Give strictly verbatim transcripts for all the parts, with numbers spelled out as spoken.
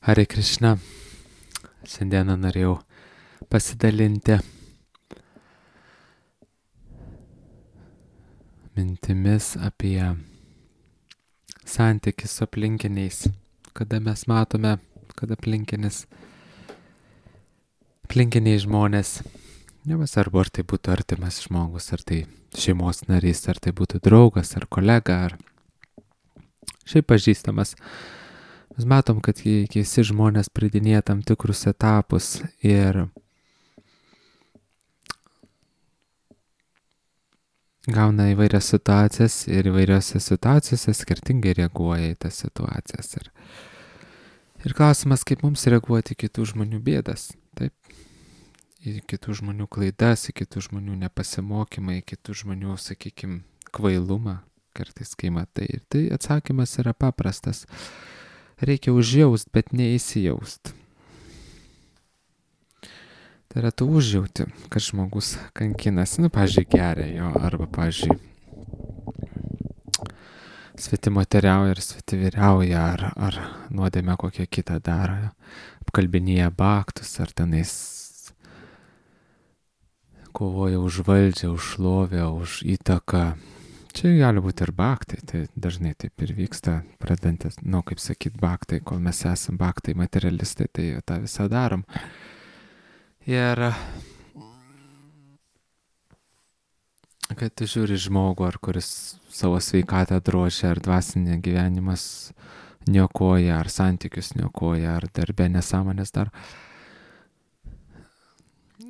Hare Krishna. Šiandieną norėjau pasidalinti mintimis apie santykį su aplinkiniais, kada mes matome, kad aplinkinis, aplinkiniai žmonės, nesvarbu ar tai būtų artimas žmogus, ar tai šeimos narys, ar tai būtų draugas, ar kolega, ar šiaip pažįstamas. Mes matom, kad visi žmonės pridinėja tam tikrus etapus ir gauna įvairias situacijas ir įvairiose situacijose skirtingai reaguoja į tas situacijas. Ir, ir klausimas, kaip mums reaguoti į kitų žmonių bėdas, taip, į kitų žmonių klaidas, į kitų žmonių nepasimokymą, į kitų žmonių, sakykime, kvailumą, kartais kai matai. Ir tai atsakymas yra paprastas. Reikia užjaust, bet neįsijaust. Tai yra tu užjauti, kad žmogus kankinasi, nu, pavyzdžiui, geria jo, arba, pavyzdžiui, svetimoteriauja ir svetiviriauja, ar, ar nuodėmę kokią kitą daro, apkalbinėja baktus, ar tenais kovoja už valdžią, už šlovę, už įtaką. Čia gali būti ir baktai, tai dažnai taip ir vyksta, pradedantis, nu, kaip sakyt, baktai, kol mes esam baktai, materialistai, tai tą visą darom. Ir kad tu žiūri žmogų, ar kuris savo sveikatą drožia, ar dvasinį gyvenimas niokoja, ar santykius niokoja, ar darbe nesąmonės daro.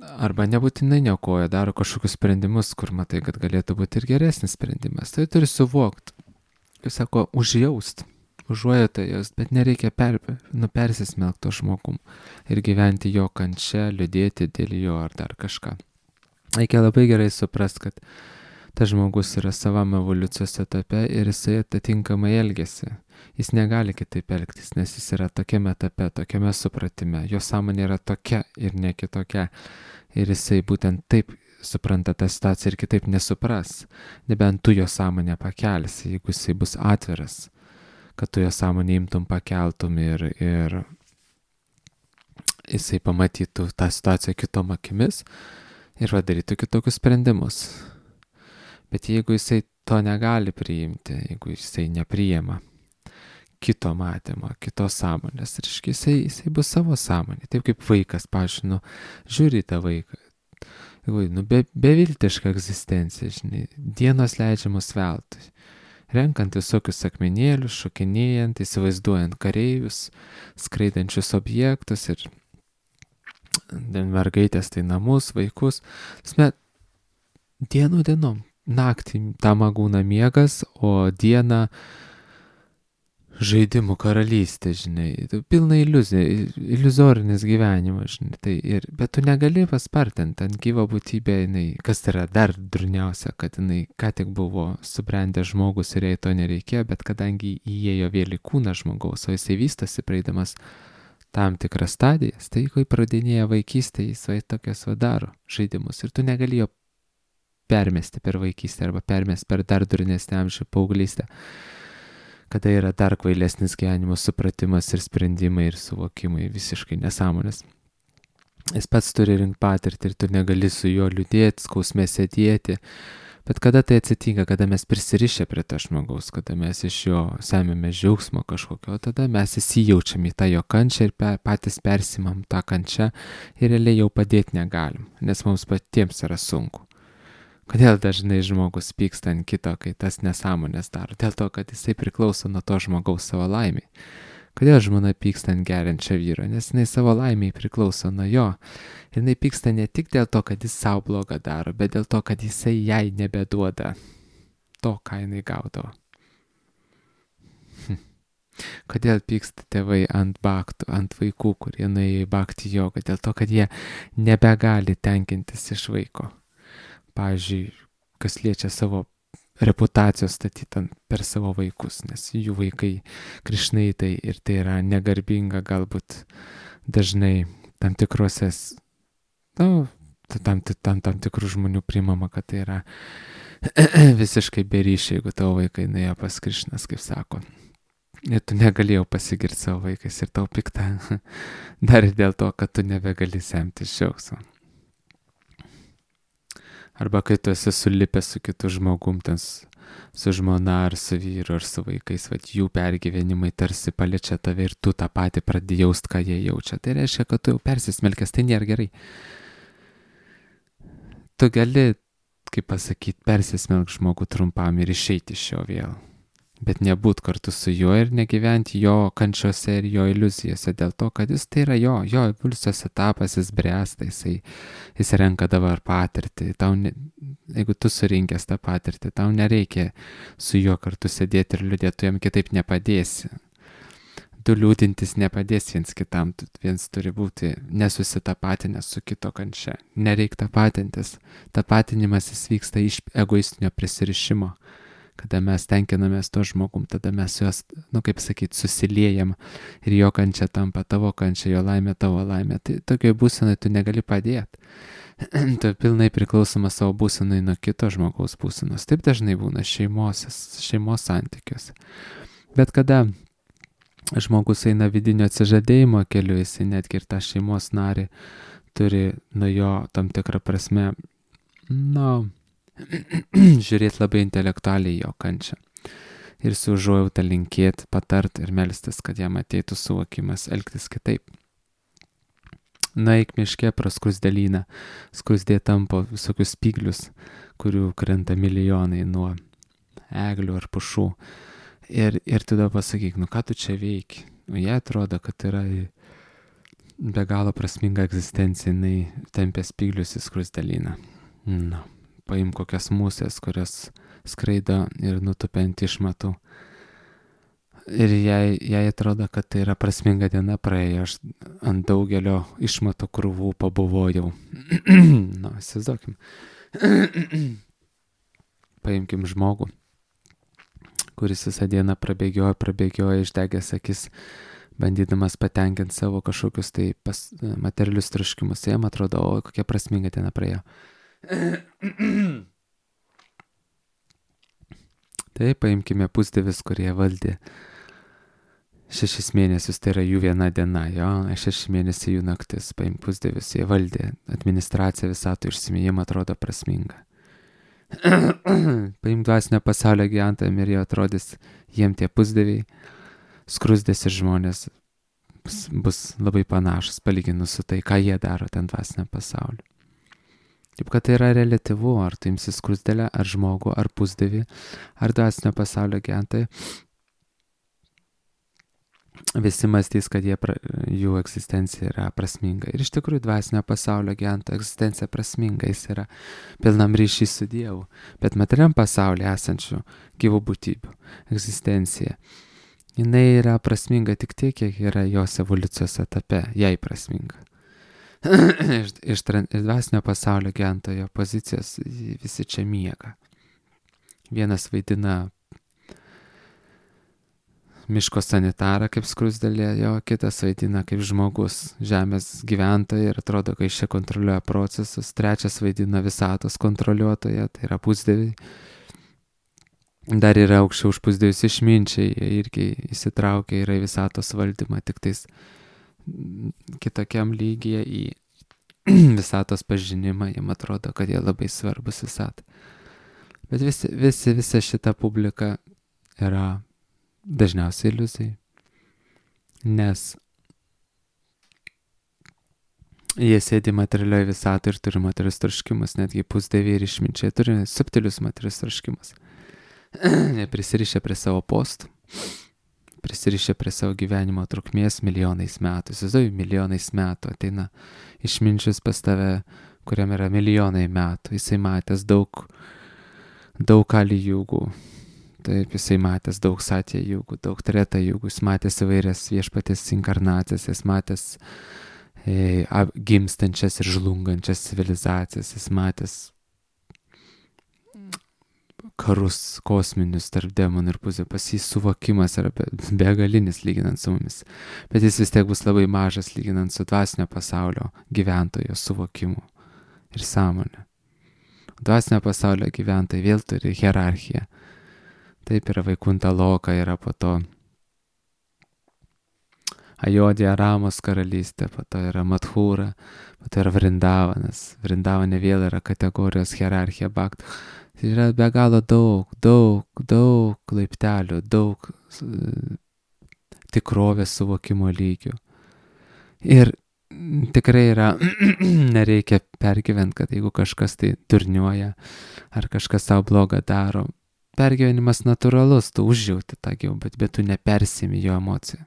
Arba nebūtinai niokoja, daro kažkokius sprendimus, kur matai, kad galėtų būti ir geresnis sprendimas. Tai turi suvokti, kaip sako, užjaust, užuojauta jaust, bet nereikia per, nu, persismelkti to žmogum ir gyventi jo kančia, liūdėti dėl jo ar dar kažką. Reikia labai gerai suprasti, kad tas žmogus yra savam evoliucijos etape ir jisai atitinkamai elgiasi. Jis negali kitaip elgtis, nes jis yra tokiame etape, tokiame supratime. Jo sąmonė yra tokia ir ne kitokia. Ir jisai būtent taip supranta tą situaciją ir kitaip nesupras. Nebent tu jo sąmonę pakelsi, jeigu jisai bus atviras, kad tu jo sąmonę imtum, pakeltum ir, ir jisai pamatytų tą situaciją kitom akimis ir padarytų kitokius sprendimus. Bet jeigu jisai to negali priimti, jeigu jisai nepriima kito matymo, kitos sąmonės, reiškia, jisai, jisai bus savo sąmonė. Taip kaip vaikas, pavyzdžiui, nu, žiūri tą vaiką, nu, be, beviltiška egzistencija, žinai, dienos leidžiamos veltui, renkant visokius akmenėlius, šokinėjant, įsivaizduojant kareivius, skraidančius objektus ir mergaitės tai namus, vaikus. Tasme, dienų dienom, naktį tam būna miegas, o dieną žaidimų karalystė, žinai, pilna iliuzija, iliuzorinis gyvenimas, žinai, tai ir, bet tu negali paspartinti ant gyvo būtybę, jinai, kas yra dar durniausia, kad jinai ką tik buvo subrendęs žmogus ir jai to nereikėjo, bet kadangi įėjo vėl į kūną žmogaus, o jisai vystosi praeidamas tam tikras stadijas, tai kai pradinėja vaikystė, jis vai tokias vadaro žaidimus ir tu negali jo permesti per vaikystę arba permesti per dar durnesnį amžių paauglystę, kada yra dar kvailesnis gyvenimo supratimas ir sprendimai ir suvokimai visiškai nesąmonės. Jis pats turi rinkti patirtį ir tu negali su juo liūdėti, skausme sėdėti, bet kada tai atsitinka, kada mes prisirišę prie to žmogaus, kada mes iš jo semėme džiaugsmo kažkokio, tada mes įsijaučiam į tą jo kančią ir pe, patys persimam tą kančią ir realiai jau padėti negalim, nes mums patiems yra sunku. Kodėl dažnai žmogus pyksta ant kito, kai tas nesąmonės daro? Dėl to, kad jisai priklauso nuo to žmogaus savo laimiai. Kodėl žmona pyksta ant geriančio vyro? Nes jinai savo laimiai priklauso nuo jo. Ir jinai pyksta ne tik dėl to, kad jis savo blogą daro, bet dėl to, kad jisai jai nebeduoda to, ką jinai gaudavo. Kodėl pyksta tėvai ant baktų, ant vaikų, kurie nuėjo į bakti jogą? Dėl to, kad jie nebegali tenkintis iš vaiko. Pavyzdžiui, kas liečia savo reputacijos statyti per savo vaikus, nes jų vaikai krišnaitai ir tai yra negarbinga galbūt dažnai tam tikrose, nu, tam, tam, tam tikrų žmonių priimama, kad tai yra visiškai beryšiai, jeigu tavo vaikai nuėjo pas Krišnas, kaip sako. Ir tu negalėjau pasigirti savo vaikais ir tau piktą. Dar ir dėl to, kad tu nebegali semti džiaugsmo. Arba kai tu esi sulipęs su kitu žmogum, ten su žmona ar su vyru ar su vaikais, vat jų pergyvenimai tarsi paliečia tave ir tu tą patį pradėjai jaust, ką jie jaučia. Tai reiškia, kad tu jau persismelkęs, tai nėra gerai. Tu gali, kaip pasakyti, persismelk žmogų trumpam ir išeiti iš jo vėl. Bet nebūt kartu su juo ir negyventi jo kančiose ir jo iliuzijose dėl to, kad jis tai yra jo, jo evoliucijos etapas, jis bręsta, jisai, jis renka dabar patirtį. Tau ne, jeigu tu surinkęs tą patirtį, tau nereikia su juo kartu sėdėti ir liūdėti, tu jam kitaip nepadėsi. Du liūdintis nepadės viens kitam, viens turi būti nesusitapatinęs su kito kančia. Nereik tapatintis. Tapatinimas jis vyksta iš egoistinio prisirišimo. Kada mes tenkinamės to žmogum, tada mes juos, nu kaip sakyti, susiliejam ir jo kančia tampa tavo kančia, jo laimė tavo laimė. Tai tokioj būsenai tu negali padėti. Tu pilnai priklausomas savo būsenai nuo kito žmogaus būsenos. Taip dažnai būna šeimos, šeimos santykiuose. Bet kada žmogus eina vidinio atsižadėjimo keliu, jisai netgi ir tą šeimos narį turi nuo jo tam tikrą prasme, nu, žiūrėti labai intelektualiai jo kančią. Ir su užuojauta linkėti, patart ir melstis, kad jam ateitų suvokimas elgtis kitaip. Nueik miške pro skrusdelyną, skrusdė tampo visokius spyglius, kurių krenta milijonai nuo eglių ar pušų. Ir, ir tada pasakyk, nu ką tu čia veiki? O jie atrodo, kad yra be galo prasminga egzistencija, jinai tempia spyglius į skrusdelyną. Nu. Paim kokias musės, kurios skraido ir nutupia ant išmatų. Ir jai, jai atrodo, kad tai yra prasminga diena praėjo, aš ant daugelio išmatų krūvų pabuvojau. Nu, įsivaizduokim. Paimkim žmogų, kuris visą dieną prabėgioja, prabėgioja, išdegęs akis, bandydamas patenkinti savo kažkokius tai pas, materialius troškimus. Jam atrodo, o kokia prasminga diena praėjo. Tai paimkime pusdievius, kurie valdė šešis mėnesius, tai yra jų viena diena, jo, šeši mėnesiai jų naktis, paimk pusdievius, jie valdė administraciją visatų išsimėjimą, atrodo prasminga. Paimk dvasinio pasaulio gyventojams ir jie atrodys, jiem tie pusdieviai, skrusdės ir žmonės bus, bus labai panašus, palyginus su tai, ką jie daro ten dvasinio pasaulio. Taip, kad tai yra reliatyvu, ar tu imsi skrusdelę, ar žmogų, ar pusdievį, ar dvasinio pasaulio gyventojai. Visi mąstys, kad jie, jų egzistencija yra prasminga. Ir iš tikrųjų dvasinio pasaulio gyventojo egzistencija prasminga, jis yra pilnam ryšį su Dievu. Bet materialiam pasaulyje esančių gyvų būtybių egzistencija, jinai yra prasminga tik tiek, kiek yra jos evoliucijos etape, jai prasminga. iš, iš, iš dvasinio pasaulio gyventojo pozicijos visi čia miega. Vienas vaidina miško sanitarą kaip skrusdelė, jo kitas vaidina kaip žmogus, žemės gyventoja ir atrodo, kad jis čia kontroliuoja procesus. Trečias vaidina visatos kontroliuotoja, tai yra pusdieviai. Dar yra aukščiau už pusdievius išminčiai, jie irgi įsitraukia yra į visatos valdymą, tik tais kitokiam lygyje į visatos pažinimą, jiem atrodo, kad jie labai svarbus visatai. Bet visi, visi, visa šita publika yra dažniausiai iliuzijai, nes jie sėdi materialioje visatoje ir turi materialius troškimus, netgi pusdieviai ir išminčiai turi subtilius materialius troškimus. Neprisirišę prie savo postų, prisirišę prie savo gyvenimo trukmės milijonais metų. Įsivaizduoju, milijonais metų ateina išminčius pas tave, kuriam yra milijonai metų. Jisai matęs daug, daug kali jūgų. Taip, jisai matęs daug satė jūgų, daug treta jūgų. Jis matęs įvairias viešpatės inkarnacijas, jis matęs e, gimstančias ir žlungančias civilizacijas, jis matęs karus kosminius tarp demonų ir pusė, pas jį suvokimas yra begalinis lyginant su mumis, bet jis vis tiek bus labai mažas lyginant su dvasinio pasaulio gyventojo suvokimu ir sąmonė. Dvasinio pasaulio gyventojai vėl turi hierarchiją. Taip yra Vaikunta Loka, yra po to Ajodija Ramos karalystė, po to yra Madhūra, po to yra Vrindavanas. Vrindavane vėl yra kategorijos hierarchija bhaktų. Tai yra be galo daug, daug, daug laiptelių, daug uh, tikrovės suvokimo lygių. Ir tikrai yra, nereikia pergyventi, kad jeigu kažkas tai durniuoja, ar kažkas savo blogą daro, pergyvenimas natūralus, tu užjauti tą gyvą, bet, bet tu nepersimi jo emocijų.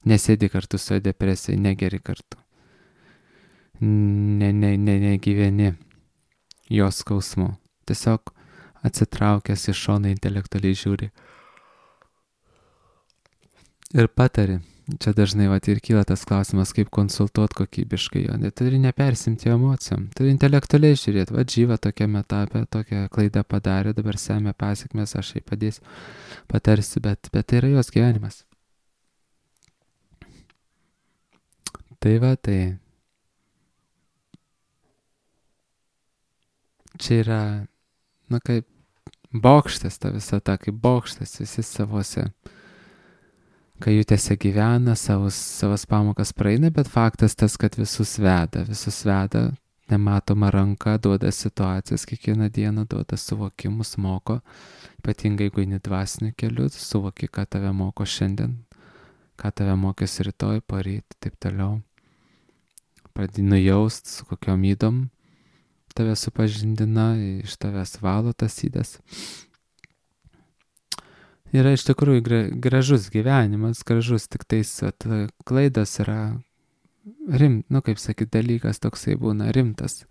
Nesėdi kartu su depresija, negeri kartu. Ne, ne, ne, negyveni jo skausmu. Tiesiog atsitraukęs iš šono intelektualiai žiūri. Ir patari. Čia dažnai vat, ir kyla tas klausimas, kaip konsultuoti kokybiškai jo. Turi nepersimti jo emocijom. Turi intelektualiai žiūrėti. Va, Džyva tokiame etape, tokią klaidą padarė, dabar semia pasiekmes, aš jai padėsiu, patarsiu, bet, bet tai yra jos gyvenimas. Tai va, tai čia yra, na kaip bokštas ta visata, kaip bokštas visi savose kajutėse gyvena, savus, savas pamokas praeina, bet faktas tas, kad visus veda, visus veda, nematoma ranka, duoda situacijas kiekvieną dieną, duoda suvokimus, moko, ypatingai jeigu eini dvasiniu keliu, suvoki, ką tave moko šiandien, ką tave mokės rytoj, poryt, taip toliau. Pradedi nujaust, su kokiom ydom tave supažindina, iš tavęs valo tas ydas. Yra iš tikrųjų gražus gyvenimas, gražus, tik tais at, klaidas yra rim, nu kaip sakyt, dalykas toksai būna rimtas.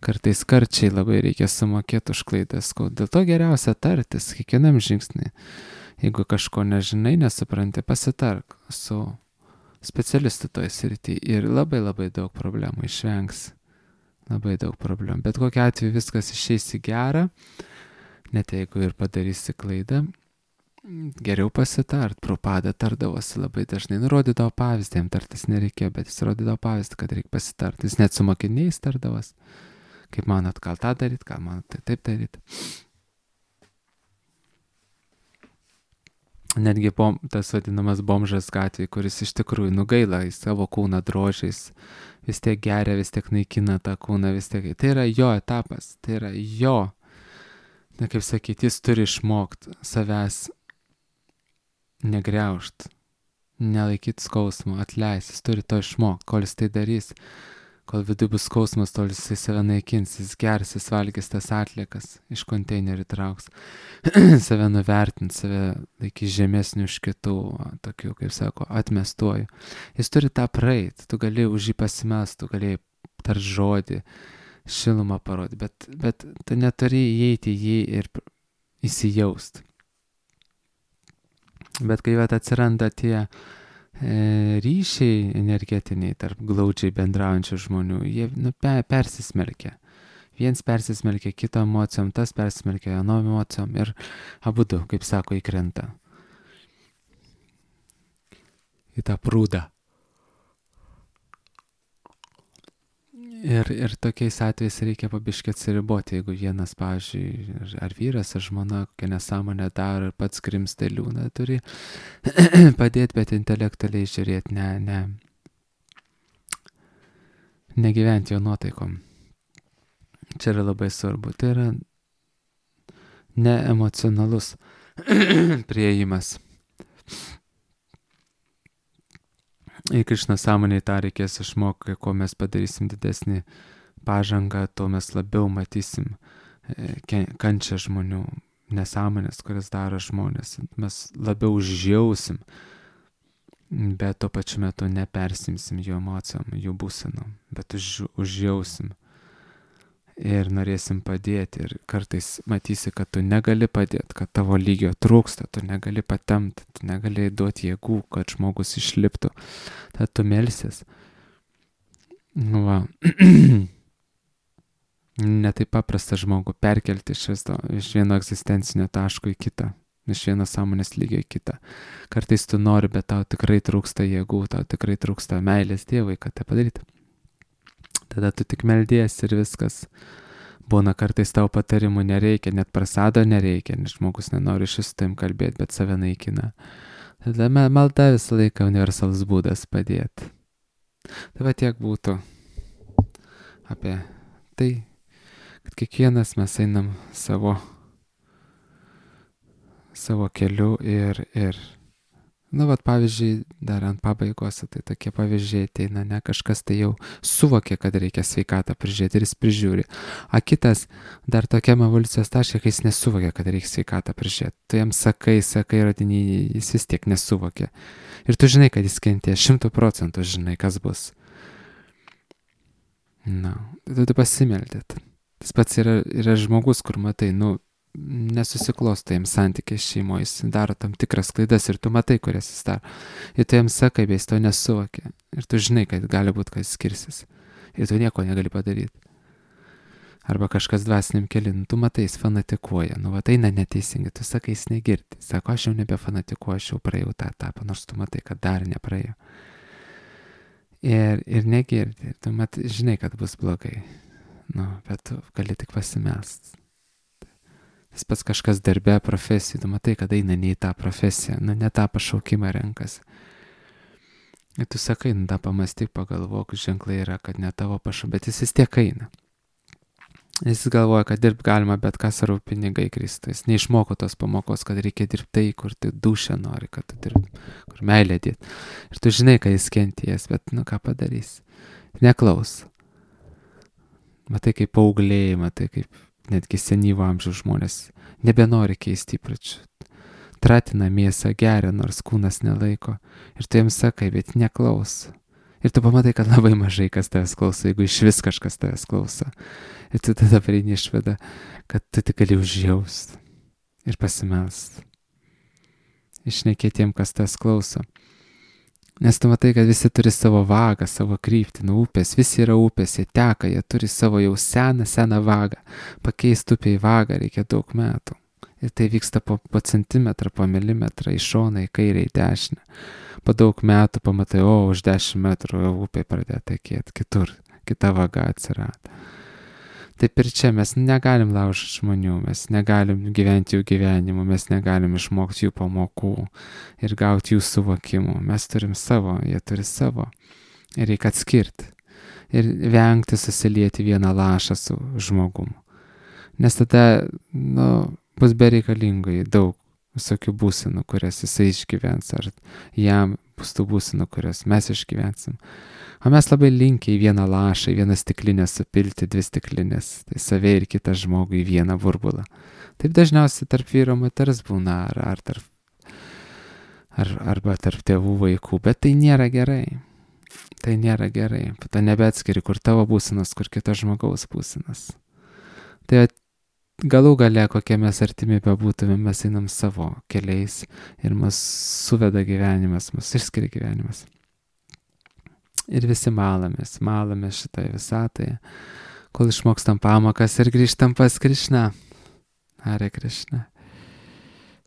Kartais karčiai labai reikia sumokėti už klaidas, dėl to geriausia tartis kiekvienam žingsnį. Jeigu kažko nežinai, nesupranti, pasitark su specialistų toj srity ir labai labai daug problemų išvengs. Labai daug problemų. Bet kokiu atveju viskas išeis į gerą, net jeigu ir padarysi klaidą, geriau pasitart. Prabhupada tardavosi labai dažnai. Nurodydavo pavyzdį, jam tartis nereikėjo, bet jis rodydavo pavyzdį, kad reikia pasitart. Jis net su mokiniais tardavos. Kaip manot, gal tą daryt, gal manot, tai taip daryt. Netgi bom, tas vadinamas bomžas gatvėje, kuris iš tikrųjų nugaila į savo kūną drožiais, vis tiek geria, vis tiek naikina tą kūną, vis tiek. Tai yra jo etapas, tai yra jo. Na, kaip sakyti, jis turi išmokti savęs negriaužt, nelaikyti skausmo, atleis, jis turi to išmokti, kol jis tai darys. Kol vidui bus skausmas, tol jisai save naikins, jis gers, jis valgys tas atliekas, iš konteinerių trauks, save nuvertins, save laikys žemesnių už kitų, tokių, kaip sako, atmestuoju. Jis turi tą praeit, tu gali už jį pasimest, tu gali tar žodį, šilumą parodyti, bet, bet tu neturi įeiti į jį ir įsijaust. Bet kai vat atsiranda tie ryšiai energetiniai tarp glaudžiai bendraujančių žmonių, jie nu, pe, persismelkia. Viens persismelkia kito emocijom, tas persismelkia anom emocijom ir abudu, kaip sako, įkrenta į tą prūdą. Ir, ir tokiais atvejais reikia pabiškai atsiriboti, jeigu vienas, pavyzdžiui, ar vyras, ar žmona kokią nesąmonę daro ir pats grimsta į liūną, turi padėti, bet intelektualiai žiūrėti, ne, ne, negyventi jo nuotaikom. Čia yra labai svarbu, tai yra neemocionalus priėjimas. Į Krišną sąmonėje tą reikės išmokti, kuo mes padarysim didesnį pažangą, tuo mes labiau matysim kančią žmonių, nesąmonės, kurias daro žmonės. Mes labiau užjausim, bet tuo pačiu metu nepersimsim jų emocijom, jų būsenom, bet už, užjausim. Ir norėsim padėti ir kartais matysi, kad tu negali padėti, kad tavo lygio trūksta, tu negali patemti, tu negali duoti jėgų, kad žmogus išliptų. Tad tu melsies. Nu va. Ne taip paprasta žmogų perkelti iš, visto, iš vieno egzistencinio taško į kitą, iš vieno sąmonės lygio į kitą. Kartais tu nori, bet tau tikrai trūksta jėgų, tau tikrai trūksta meilės Dievui, kad tai padaryti. Tada tu tik meldies ir viskas. Būna kartais tau patarimų nereikia, net prasado nereikia, nes žmogus nenori šis su tavim kalbėti, bet save naikina. Tada me- malda visą laiką universalus būdas padėti. Tai va tiek būtų apie tai, kad kiekvienas mes einam savo, savo keliu ir, ir nu, vat pavyzdžiui, dar ant pabaigos, tai tokie pavyzdžiai ateina, ne, kažkas tai jau suvokia, kad reikia sveikatą prižiūrėti ir jis prižiūri. A kitas dar tokiam evoliucijos taške, kai jis nesuvokia, kad reikia sveikatą prižiūrėti. Tu jam sakai, sakai, rodinį, jis vis tiek nesuvokia. Ir tu žinai, kad jis kentės, šimtų procentų žinai, kas bus. Na, tu, tu pasimeldėt. Tas pats yra, yra žmogus, kur matai, nu, nesusiklosto jam santykiai šeimoje, jis daro tam tikras klaidas ir tu matai, kurias jis daro. Ir tu jam sakai, bet jis to nesuvokia. Ir tu žinai, kad gali būti, kad jis skirsis. Ir tu nieko negali padaryti. Arba kažkas dvasiniam keliu, tu matai, jis fanatikuoja. Nu, va, tai eina neteisingai. Tu sakai, jis negirdi. Sako, aš jau nebefanatikuoju, aš jau praėjau tą etapą, nors tu matai, kad dar nepraėjau. Ir, ir negirdi. Ir tu matai, žinai, kad bus blogai. Nu, bet tu gali tik pasimelst. Tas pats kažkas darbe, profesijų, tu matai, kad eina ne į tą profesiją, nu, ne tą pašaukimą renkas. Ir tu sakai, nu, tą pamastyk, pagalvok, ženklai yra, kad ne tavo pašaukimą, bet jis vis tiek eina. Jis galvoja, kad dirbt galima, bet kas svarbu pinigai Kristui. Jis neišmoko tos pamokos, kad reikia dirbti tai, kur tu dušę nori, kad tu dirbt, kur meilė dėt. Ir tu žinai, kad jis kenties, bet, nu, ką padarys. Neklaus. Matai, kaip paaugliai, matai, kaip netgi senyvo amžiaus žmonės nebenori keisti įpročių. Tratina mėsą, geria, nors kūnas nelaiko. Ir tu jiems sakai, bet neklaus. Ir tu pamatai, kad labai mažai kas tavęs klauso, jeigu iš vis kažkas tavęs klauso. Ir tu tada prieini išvadą, kad tu tik gali užjaust ir pasimelst. Išnekėtiem, kas tavęs klauso. Nes tu matai, kad visi turi savo vagą, savo kryptį, nu upės, visi yra upės, jie teka, jie turi savo jau seną, seną vagą. Pakeisti upę į vagą reikia daug metų. Ir tai vyksta po, po centimetrą, po milimetrą, į šoną, į kairę, į dešinę. Po daug metų pamatai, o už dešimt metrų jau upė pradėjo tekėti, kitur, kita vaga atsirado. Taip ir čia mes negalim laužyti žmonių, mes negalim gyventi jų gyvenimu, mes negalim išmokti jų pamokų ir gauti jų suvokimų. Mes turim savo, jie turi savo. Ir reikia atskirti. Ir vengti susilieti vieną lašą su žmogumu. Nes tada, nu, bus bereikalingai daug visokių būsenų, kurias jisai išgyvens, ar jam bus tų būsenų, kurias mes išgyvensim. O mes labai linkę į vieną lašą, į vieną stiklinę supilti dvi stiklinės, tai save ir kitą žmogų į vieną burbulą. Taip dažniausiai tarp vyro moters būna, ar, ar tarp, ar, arba tarp tėvų vaikų, bet tai nėra gerai. Tai nėra gerai. Tu nebeatskiri, kur tavo būsenas, kur kito žmogaus būsenas. Tai galų gale, kokie mes artimi bebūtume, mes einam savo keliais ir mus suveda gyvenimas, mus išskiria gyvenimas. Ir visi malamės, malamės šitoje visatoje, kol išmokstam pamokas ir grįžtam pas Krišną. Hare Krishna.